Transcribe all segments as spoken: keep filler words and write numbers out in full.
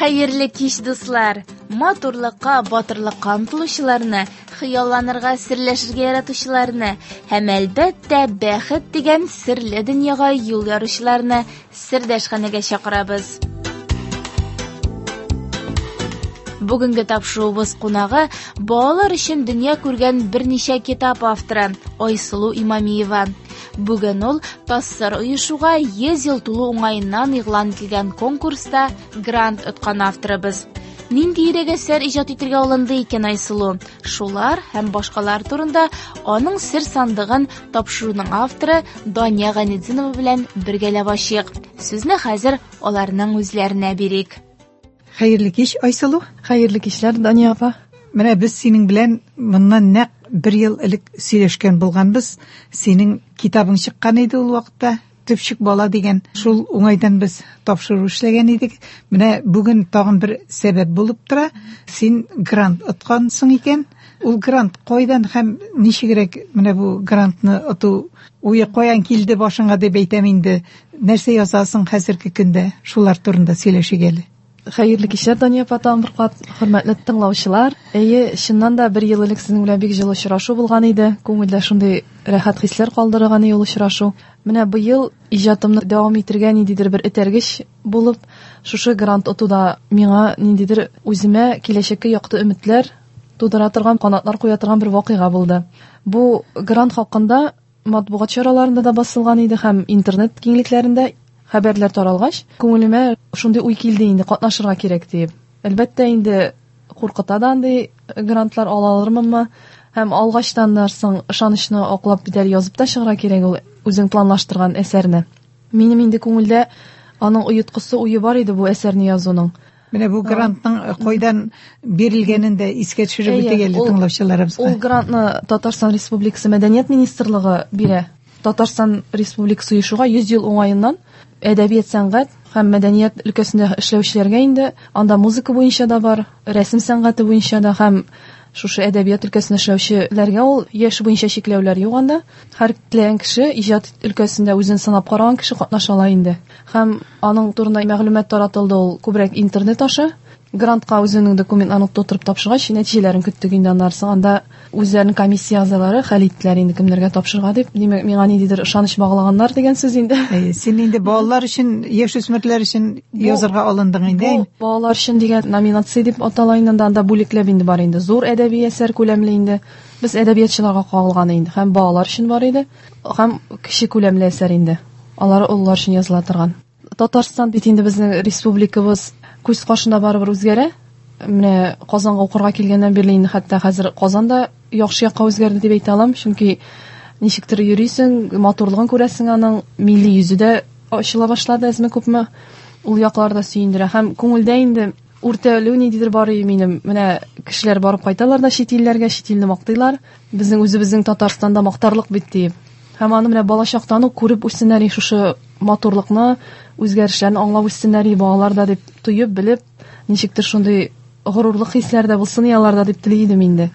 Хәерле кич, дуслар! Матурлыкка, батырлыкка омтылучыларны, хыялланырга, серләшергә яратучыларны һәм, әлбәттә, бәхет дигән серле дөньяга юл яручыларны сердәшханәгә чакырабыз. Бүгенге тапшыруыбыз кунагы балалар өчен дөнья күргән берничә китап авторы Айсылу Имамиева. Бүген ул ТАССР оешуга йөз ел тулу уңаеннан игълан ителгән конкурста грант откан авторыбыз. Ниндиерәк әсәр иҗат итәргә алынды икән Айсылу? Шулар һәм башкалар турында аның сер сандыгын тапшыруның авторы Дания Гайнетдинова белән бергәләп ачыйк. Сүзне хәзер аларның үзләренә бирик. Хәерле кич, Айсылу. Хәерле кичләр, Дания апа. Менә без синең белән моннан нәкъ бер ел элек сөйләшкән булганбыз. Синең китабың чыккан иде ул вакытта, Төпчек бала дигән. Шул уңайдан без тапшыру эшләгән идек. Менә бүген тагын бер сәбәп булып тора. Син грант откансың икән. Ул грант кайдан һәм ничегрәк менә бу грантны оту уе каян килде башыңа дип әйтәм инде. Нәрсә язасың хәзерге көндә? Шулар турында сөйләшик әле. Хәерле кичләр, Дания апа, тагын бер кат хөрмәтле тыңлаучылар. Әйе, чыннан да бер ел элек сезнең белән бик җылы очрашу булган иде. Күңелдә шундый рәхәт хисләр калдырган ул очрашу. Менә быел иҗатымны дәвам итергә ниндидер бер этәргеч булып, шушы грант отуда миңа ниндидер үземә киләчәккә якты өметләр тудыра торган, канатлар куя торган бер вакыйга булды. Бу грант хакында матбугат чараларында да басылган иде һәм интернет киңлекләрендә хәбәрләр таралгач, күңелемә шундый уй килде инде, катнашырга кирәк дип. Әлбәттә инде куркыта да андый грантлар ала алырмынмы? Һәм алгачтан соң ышанычны аклап бит әле язып та чыгарга кирәк ул үзең планлаштырган әсәрне. Минем инде күңелдә аның оеткысы уе бар иде бу әсәрне язуның. Менә бу грантның кайдан бирелгәнен дә искә төшереп үтик әле тыңлаучыларыбызга. Ул грантны Татарстан Республикасы Мәдәният министрлыгы бирә. Татарстан Республикасы оешуга йөз ел уңаеннан әдәбият, сәнгать һәм мәдәният өлкәсендә эшләүчеләргә инде анда музыка буенча да бар, рәсем сәнгате буенча да һәм шушы әдәбият өлкәсендә эшләүчеләргә ул яшь буенча чикләүләр юк анда. Һәр теләгән кеше иҗат өлкәсендә үзен сынап караган кеше катнаша ала инде. Һәм аның турында мәгълүмат таратылды ул күбрәк интернет аша. Грантка үзенең документларын тутырып тапшыргач, нәтиҗәләрен көттек инде аннан соң. Анда үзләренең комиссия әгъзалары хәл иттеләр инде кемнәргә тапшырга дип. Димәк, миңа ниндидер ышаныч баглаганнар дигән сүз инде. Әйе, син инде балалар өчен, яшүсмерләр өчен язырга алындың инде. Бу балалар өчен дигән номинация дип атала инде, анда бүлекләп инде бар инде. Зур әдәби әсәр күләмле инде. Без әдәбиятчыларга кагылган инде. Һәм балалар өчен бар иде, һәм кече күләмле әсәр инде. Алар олылар өчен языла торган. Татарстан бит инде безнең республикабыз күз каршында барыбер үзгәрә. Менә Казанга укырга килгәннән бирле инде хәтта хәзер Казанда яхшы якка үзгәрде дип әйтә алам, чөнки ничектер йөрисең, матурлыгын күрәсең, аның милли йөзе дә ачыла башлады әзме-күпме. Ул яклар да сөендерә һәм күңелдә инде үртәлү ниндидер бар иде минем. Менә кешеләр барып кайталар да чит илләргә, чит илне мактыйлар. Безнең үзебезнең Татарстанда мактарлык бит дип. Һәм аны менә балачактан ук күреп үссеннәр шушы матурлыкны, үзгәрешләрне аңлап үссеннәр балалар да дип тоеп, белеп, ничектер шундый горурлык хисләр дә булсын аларда дип тели идем инде.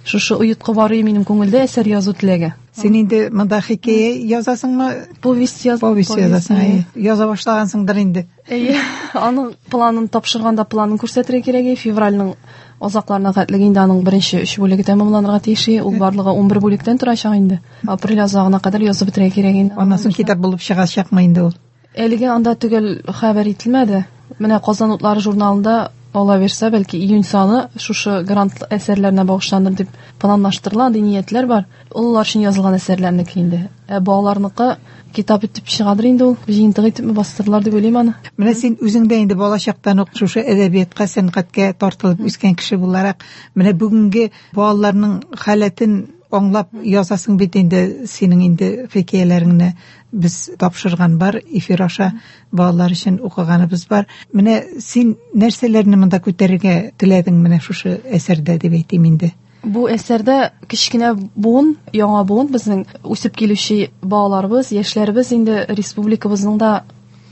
Шушы оеткы бар иде минем күңелдә әсәр язу теләге. Син инде монда хикәя язасыңмы? Повесть яз. Повесть язасың, әйе. Яза башлагансыңдыр инде. Әйе, аның планын тапшырганда планын күрсәтергә кирәк. Февральның азакларына хәтле инде аның беренче өч бүлеге тәмамланырга тиеш. Ул барлыгы ун бер бүлектән торачак инде. Апрель азагына кадәр язып бетерергә кирәк инде. Аннан соң китап булып чыгачакмы инде ул? Әлегә анда төгәл хәбәр ителмәде. Менә Казан утлары журналында ала бирсә, бәлки июнь саны шушы грант әсәрләренә багышланыр дип планлаштырыла, андый ниятләр бар. Олылар өчен язылган әсәрләрнеке инде. Ә балаларныкы китап итеп чыгадыр инде ул, җыентык итеп бастырылар дип уйлыйм аны. Менә син үзең дә инде балачактан ук шушы әдәбиятка, сәнгатькә тартылып үскән кеше буларак, менә бүгенге балаларның халәтен аңлап язасың бит инде. Синең инде хикәяләреңне без тапшырган бар, эфир аша балалар өчен укыганыбыз бар. Менә син нәрсәләрне монда күтәрергә теләдең менә шушы әсәрдә дип әйтим инде? Бу әсәрдә кечкенә буын, яңа буын, безнең үсеп килүче балаларыбыз, яшьләребез инде республикабызның да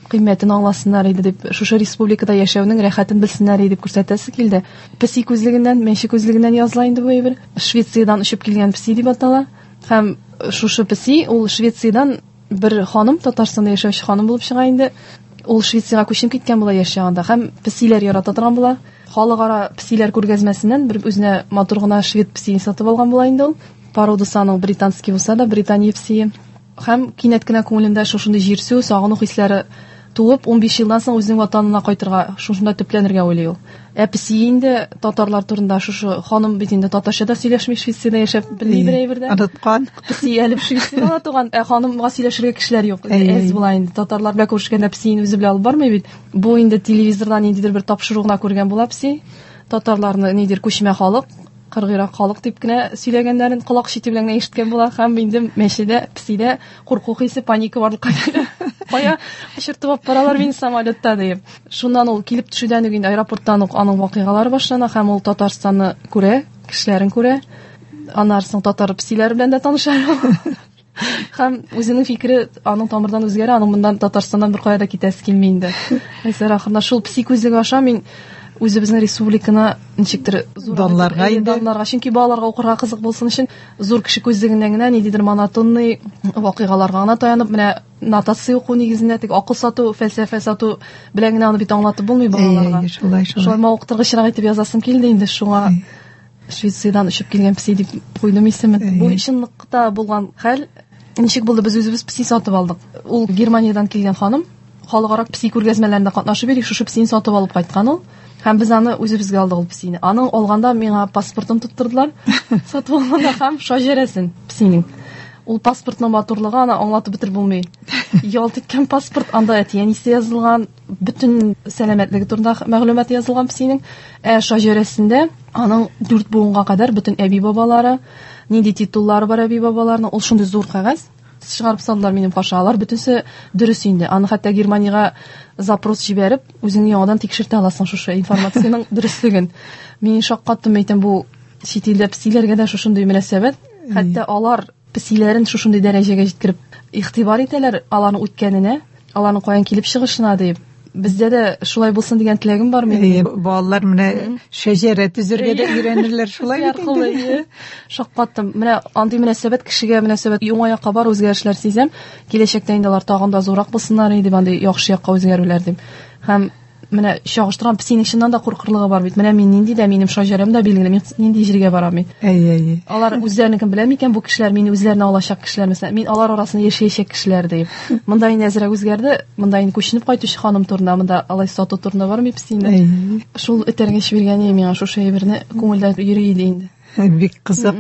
кыйммәтен аңласыннар иде дип, шушы республикада яшәүнең рәхәтен белсеннәр иде дип күрсәтәсе килде. Песи күзлегеннән, мәче күзлегеннән языла инде бу әйбер. Швециядән очып килгән песи дип атала. Һәм шушы песи ул Швециядән бер ханым, Татарстанда яшәүче ханым булып чыга инде. Ул Швециягә күченеп киткән була яшь чагында һәм песиләр ярата торган була. Халыкара песиләр күргәзмәсеннән бер үзенә матур гына швед песиен сатып алган була инде ул. Породасы аның британский булса да, Британия песие. Һәм кинәт кенә күңелендә шушындый җирсү, сагыну хисләре туып, унбиш елдан соң үзенең ватанына кайтырга, шушында төпләнергә уйлый ул. Ә песие инде татарлар турында шушы ханым бит инде татарча да сөйләшми, Швециядә яшәп белми бер әйбер дә. Оныткан. Песие әле Швециядә дә туган, ә ханымга сөйләшергә кешеләр юк. Әз була инде. Татарлар белән күрешкәндә песиен үзе белән алып бармый бит. Бу инде телевизордан ниндидер бер тапшыру гына күргән була песи. Татарларны нидер күчмә халык, кыргыйрак халык дип кенә сөйләгәннәрен колак чите белән генә ишеткән була һәм инде мәчедә, песидә курку хисе, паника барлыкка килә. Кая очыртып алып баралар мине самолетта дип. Шуннан ул килеп төшүдән үк инде аэропорттан ук аның вакыйгалары башлана һәм ул Татарстанны күрә, кешеләрен күрә. Аннан соң татар песиләре белән дә таныша. Һәм үзенең фикере аның тамырдан үзгәрә, аның моннан Татарстаннан бер кая да китәсе килми инде. Әсәр ахырында шул песи күзлеге аша мин үзебезнең республиканы ничектер данларга инде. Данларга, чөнки балаларга укырга кызык булсын өчен зур кеше күзлегеннән генә ниндидер монотонный вакыйгаларга гына таянып, менә нотация уку нигезендә тик акыл сату, фәлсәфә сату белән генә аны бит аңлатып булмый балаларга. Әй, шулай, шулай. Шулай мавыктыргычрак итеп язасым килде инде, шуңа Швециядән очып килгән песи дип куйдым исемен. Бу чынлыкта булган хәл. Ничек булды, без үзебез песи сатып алдык. Ул Германиядән килгән ханым халыкара песи күргәзмәләрендә катнашып йөри, шушы песине сатып алып кайткан ул. Һәм без аны үзебезгә алдык ул песине. Аның алганда миңа паспортын тоттырдылар. Сатып алганда һәм шаҗәрәсен песинең. Ул паспортның матурлыгы аны аңлатып бетереп булмый. Ялт иткән паспорт, анда әти-әнисе язылган, бөтен сәламәтлеге турында мәгълүмат язылган песинең. Ә шаҗәрәсендә аның дүрт буынга кадәр бөтен әби-бабалары, нинди титуллары бар әби-бабаларының, ул шундый зур кәгазь чыгарып салдылар минем каршы. Алар бөтенсе дөрес инде. Аны хәтта Германиягә запрос җибәреп, үзең яңадан тикшертә аласың шушы информациянең дөреслеген. Мин шаккаттым, әйтәм, бу чит илдә песиләргә дә шушындый мөнәсәбәт. Хәтта алар песиләрен шушындый дәрәҗәгә җиткереп игътибар итәләр, аларның үткәненә, аларның каян килеп чыгышына дип. Бездә дә шулай булсын дигән теләгем бар минем. Балалар менә шәҗәрә төзергә дә өйрәнерләр шулай бит инде. Шаккаттым. Менә андый мөнәсәбәт кешегә мөнәсәбәт уңай якка бар үзгәрешләр сизәм. Киләчәктә инде алар тагын да зуррак булсыннар иде, андый яхшы якка үзгәрүләр дип. Һәм менә чагыштырган песинең чыннан да куркырлыгы бар бит. Менә мин нинди дә, минем шаҗәрәм дә билгеле, мин нинди җиргә барам мин. Әй, әй. Алар үзләренекен белә микән бу кешеләр, мине үзләренә алачак кешеләр, мәсәлән, мин алар арасында яшәячәк кешеләр дип. Монда инде әзрәк үзгәрде, монда инде күченеп кайтучы ханым турында, монда алай сату турында бармый песинең. Шул этәргеч биргән миңа шушы әйберне күңелдә йөри иде инде. Бик кызык.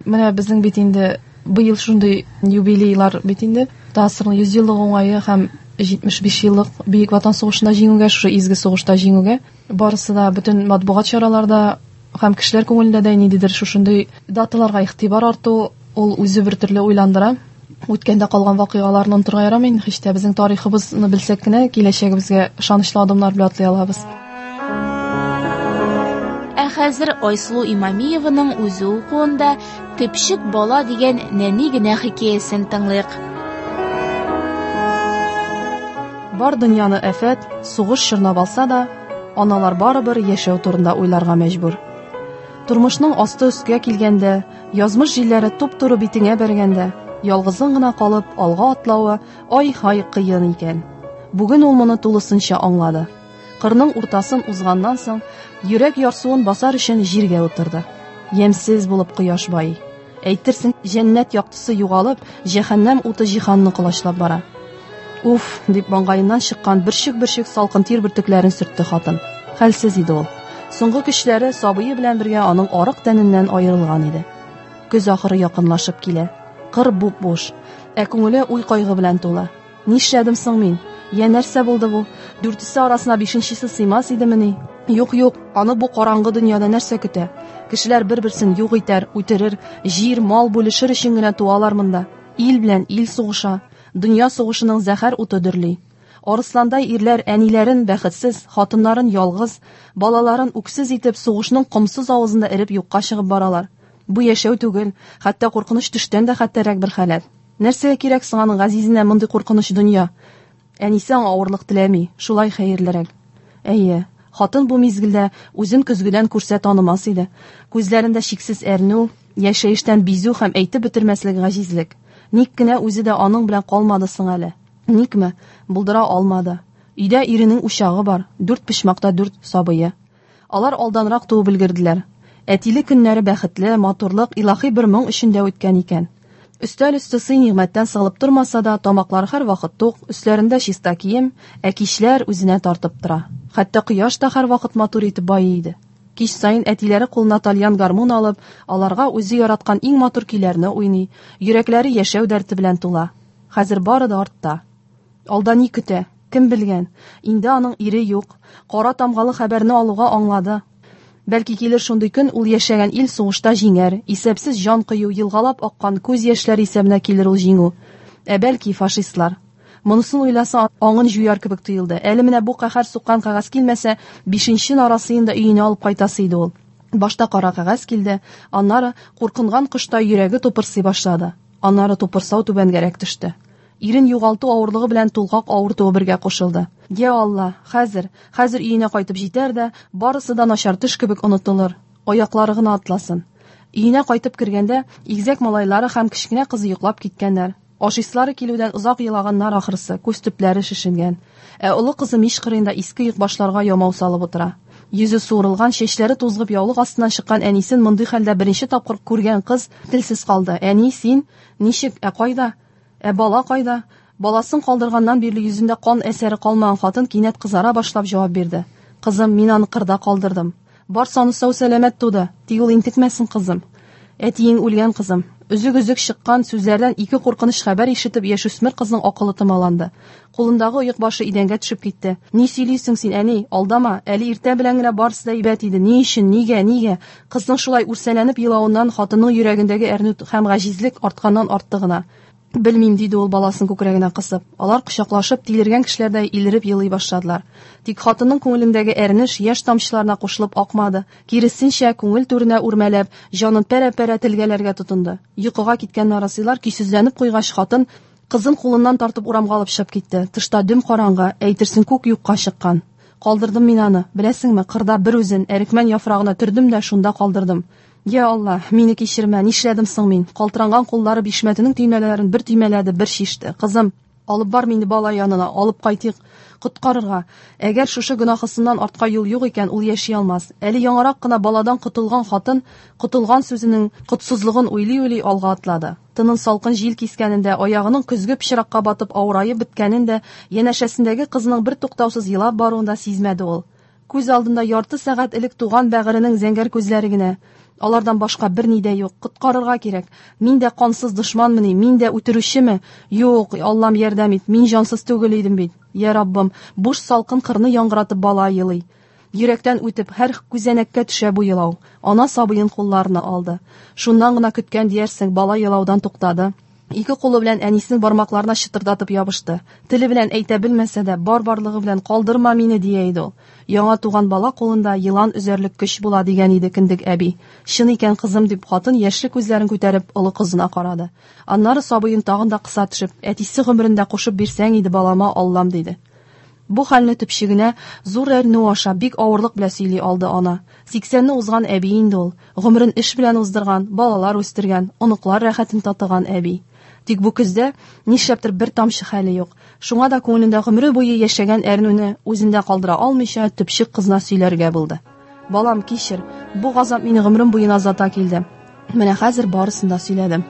Менә безнең бит инде быел шундый юбилейлар бит инде. ТАССРның йөз еллыгы уңае һәм җитмеш биш еллык Бөек Ватан сугышында җиңүгә, шушы изге сугышта җиңүгә барысы да бөтен матбугат чараларда һәм кешеләр күңелендә дә ниндидер шушындый даталарга игътибар арту, ул үзе бер төрле уйландыра. Үткәндә калган вакыйгаларны онытырга ярамый, һич тә безнең тарихыбызны белсәк кенә киләчәгебезгә ышанычлы адымнар белән атлый алабыз. Ә хәзер Айсылу Имамиеваның үзе укуында Төпчек бала дигән нәни генә хикәясен тыңлыйк. Бар дөньяны афәт, сугыш чорнап алса да, аналар барыбер яшәү турында уйларга мәҗбүр. Тормышның асты өскә килгәндә, язмыш җилләре туп-туры битеңә бәргәндә, ялгызың гына калып алга атлавы ай-һай кыен икән. Бүген ул моны тулысынча аңлады. Кырның уртасын узганнан соң, йөрәк ярсуын басар өчен җиргә утырды. Ямьсез булып кояш байый. Әйтерсең, җәннәт яктысы югалып, җәһәннәм уты җиһанны колачлап бара. Уф, дип маңгаеннан чыккан бөрчек-бөрчек салкын тир бөртекләрен сөртте хатын. Хәлсез иде ул. Соңгы көчләре сабые белән бергә аның арык тәненнән аерылган иде. Көз ахыры якынлашып килә. Кыр буп-буш, ә күңеле уй-кайгы белән тулы. Нишләдем соң мин? Я нәрсә булды бу? Дүртесе арасына бишенчесе сыймас идемени? Юк, юк, аны бу караңгы дөньяда нәрсә көтә? Кешеләр бер-берсен юк итәр, үтерер, җир, мал бүлешер өчен генә туалар монда. Ил белән ил сугыша. Дөнья сугышының зәһәр уты дөрли. Арысландай ирләр әниләрен бәхетсез, хатыннарын ялгыз, балаларын үксез итеп сугышның комсыз авызында эреп юкка чыгып баралар. Бу яшәү түгел, хәтта куркыныч төштән дә хәтәррәк бер халәт. Нәрсәгә кирәк соң аның газизенә мондый куркыныч дөнья? Әнисе аңа авырлык теләми, шулай хәерлерәк. Әйе, хатын бу мизгелдә үзен көзгедән күрсә танымас иде. Күзләрендә шиксез әрнү, яшәештән бизү һәм әйтеп бетермәслек гаҗизлек. Ник кенә үзе дә аның белән калмады соң әле? Никме? Булдыра алмады. Өйдә иренең учагы бар, дүрт почмакта дүрт сабые. Алар алданрак туып өлгерделәр. Әтиле көннәре бәхетле, матурлык, илаһи бер моң эчендә үткән икән. Өстәл өсте сый-нигъмәттән сыгылып тормаса да, тамаклары һәрвакыт тук, өсләрендә чиста кием, ә кичләр үзенә тартып тора. Хәтта кояш та һәрвакыт матур итеп байый иде. Кич саен әтиләре кулына тальян гармун алып, аларга үзе яраткан иң матур көйләрне уйный, йөрәкләре яшәү дәрте белән тула. Хәзер бары да артта. Алда ни көтә? Кем белгән? Инде аның ире юк. Кара тамгалы хәбәрне алуга аңлады. Бәлки килер шундый көн, ул яшәгән ил сугышта җиңәр, исәпсез җан кыю, елгалап аккан күз яшьләре исәбенә килер ул җиңү. Ә бәлки фашистлар. Монысын уйласа, аңын җуяр кебек тоелды. Әле менә бу каһәр суккан кәгазь килмәсә, бишенче нарасыен да өенә алып кайтасы иде ул. Башта кара кәгазь килде, аннары куркынган коштай йөрәге тупырсый башлады. Аннары тупырсау түбәнгәрәк төште. Ирен югалту авырлыгы белән тулгак авыртуы бергә кушылды. Я Алла, хәзер, хәзер өенә кайтып җитәр дә, барысы да начар төш кебек онытылыр. Аяклары гына атласын. Өенә кайтып кергәндә, игезәк малайлары һәм кечкенә кызы йоклап киткәннәр. Ашыйсылары килүдән озак елаганнар ахрысы, күз төпләре шешенгән. Ә олы кызы мич кырыенда иске йөкбашларга ямау салып утыра. Йөзе суырылган, чәчләре тузгып яулык астыннан чыккан әнисен мондый хәлдә беренче тапкыр күргән кыз телсез калды. Әни, син ничек, ә кайда? Ә бала кайда? Баласын калдырганнан бирле йөзендә кан әсәре калмаган хатын кинәт кызара башлап җавап бирде. Кызым, мин аны кырда калдырдым. Бар саны сау сәламәт туды, тик ул интекмәсен, кызым. Әтиең үлгән, кызым. Өзек-өзек чыккан сүзләрдән ике куркыныч хәбәр ишетеп, яшүсмер кызның акылы томаланды. Кулындагы оекбашы идәнгә төшеп китте. Ни сөйлисең син, әни? Алдама, әле иртә белән генә барысы да әйбәт иде. Ни өчен, нигә, нигә? Кызның шулай үрсәләнеп елавыннан хатынның йөрәгендәге әрнү һәм гаҗизлек артканнан артты гына. Белмим, диде ул баласын күкрәгенә кысып. Алар кочаклашып, тилергән кешеләрдәй илереп елый башладылар. Тик хатынның күңелендәге әрнеш яшь тамчыларына кушылып акмады. Киресенчә, күңел түренә үрмәләп, җанын пәрә-пәрә телгәләргә тотынды. Йокыга киткән нарасыйлар көйсезләнеп куйгач, хатын кызын кулыннан тартып урамга алып чыгып китте. Тышта дөм караңгы, әйтерсең күк юкка чыккан. Калдырдым мин аны, беләсеңме, кырда бер үзен, әрекмән яфрагына төрдем дә шунда калдырдым. Я Алла, мине кичермә, нишләдем соң мин? Калтыранган куллары бишмәтенең төймәләрен бер төймәләде, бер шиште. Кызым, алып бар мине бала янына, алып кайтыйк, коткарырга. Әгәр шушы гөнаһысыннан артка юл юк икән, ул яши алмас. Әле яңарак кына баладан котылган хатын, котылган сүзенең котсызлыгын уйлый-уйлый алга атлады. Тынын салкын җил кискәнендә, аягының көзге пычракка батып авыраеп беткәнен дә, янәшәсендәге кызының бер туктаусыз елап баруын да сизмәде ул. Күз алдында ярты сәгать элек туган бәгыренең зәңгәр күзләре генә. Алардан башка бер ни дә юк. Коткарырга кирәк. Мин дә кансыз дошманмыни? Мин дә үтерүчеме? Юк, Аллам ярдәм ит. Мин җансыз түгел идем бит. Я Раббым, буш салкын кырны яңгыратып бала елый. Йөрәктән үтеп, һәр күзәнәккә төшә бу елау. Ана сабыен кулларына алды. Шуннан гына көткән диярсең, бала елаудан туктады. Ике кулы белән әнисенең бармакларына чытырдатып ябышты. Теле белән әйтә белмәсә дә, бар барлыгы белән калдырма мине дия иде ул. Яңа туган бала кулында елан өзәрлек көч була дигән иде кендек әби. Чын икән, кызым, дип хатын яшьле күзләрен күтәреп олы кызына карады. Аннары сабыен тагын да кыса төшеп, әтисе гомерендә кушып бирсәң иде балама, Аллам, диде. Бу хәлне төпчегенә зур әрнү аша бик авырлык белән сөйли алды ана. Сиксәнне узган әби инде ул. Гомерен эш белән уздырган, балалар үстергән, оныклар рәхәтен татыган әби. Тик бу көздә нишләптер бер тамчы хәле юк. Шуңа да күңелендә гомере буе яшәгән әрнүне үзендә калдыра алмыйча төпчек кызына сөйләргә булды. Балам, кичер, бу газап мине гомерем буена озата килде. Менә хәзер барысын да сөйләдем.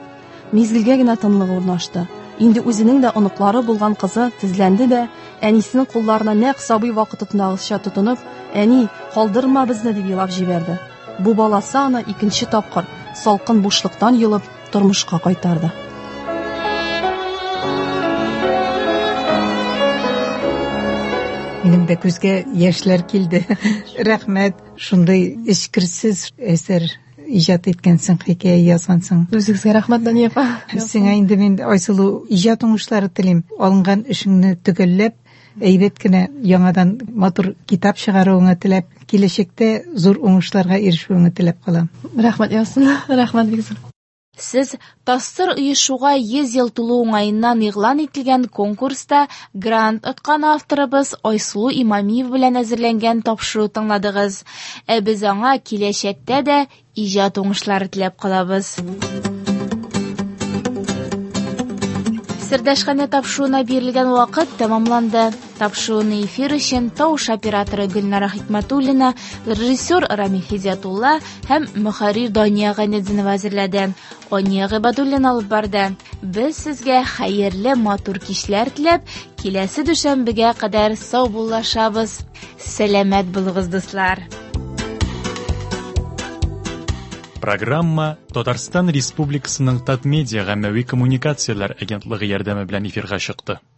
Мизгелгә генә тынлык урнашты. Инде үзенең дә оныклары булган кызы тезләнде дә, әнисенең кулларына нәкъ сабый вакытындагыча тотынып, «Әни, калдырма безне!» дип елап җибәрде. Бу баласы аны икенче тапкыр салкын бушлыктан йолып тормышка кайтарды. Минем дә күзгә яшьләр килде. Рәхмәт, шундый эчкерсез әсәр иҗат иткәнсең, хикәя язгансың. Үзегезгә рәхмәт, Дания апа. Сиңа инде мин, Айсылу, иҗат уңышлары телим. Алынган эшеңне төгәлләп, әйбәт кенә яңадан матур китап чыгаруыңны теләп, киләчәктә зур уңышларга ирешүеңне теләп калам. Рәхмәт яусын. Рәхмәт бик зур. Сез ТАССР оешуга йөз ел тулу уңаеннан игълан ителгән конкурста грант откан авторыбыз Айсылу Имамиева белән әзерләнгән тапшыру тыңладыгыз. Ә без аңа киләчәктә дә иҗат уңышлары теләп калабыз. Сердәшханә тапшыруына бирелгән вакыт тәмамланды. Тапшыруны эфир өчен тавыш операторы Гөлнара Хикмәтуллина, режиссер Рамил Хидиятулла һәм мөхәррир Дания Гайнетдинова әзерләде. Ания Гыйбадуллина алып барды. Без сезгә хәерле матур кичләр теләп, киләсе дүшәмбегә кадәр саубуллашабыз. Сәламәт булыгыз, дуслар. Программа Татарстан Республикасының Татмедиа гаммәви коммуникацияләр агентлыгы ярдәме белән эфирга чыкты.